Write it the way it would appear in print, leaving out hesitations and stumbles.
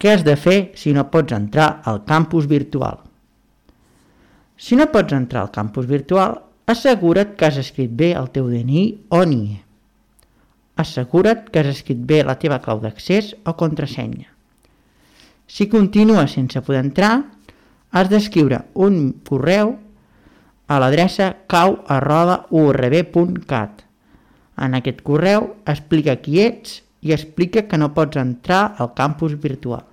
Què has de fer si no pots entrar al campus virtual? Si no pots entrar al campus virtual, assegura't que has escrit bé el teu DNI o NIE. Assegura't que has escrit bé la teva clau d'accés o contrasenya. Si continues sense poder entrar, has d'escriure un correu a l'adreça cau@urb.cat. En aquest correu explica qui ets i explica que no pots entrar al campus virtual.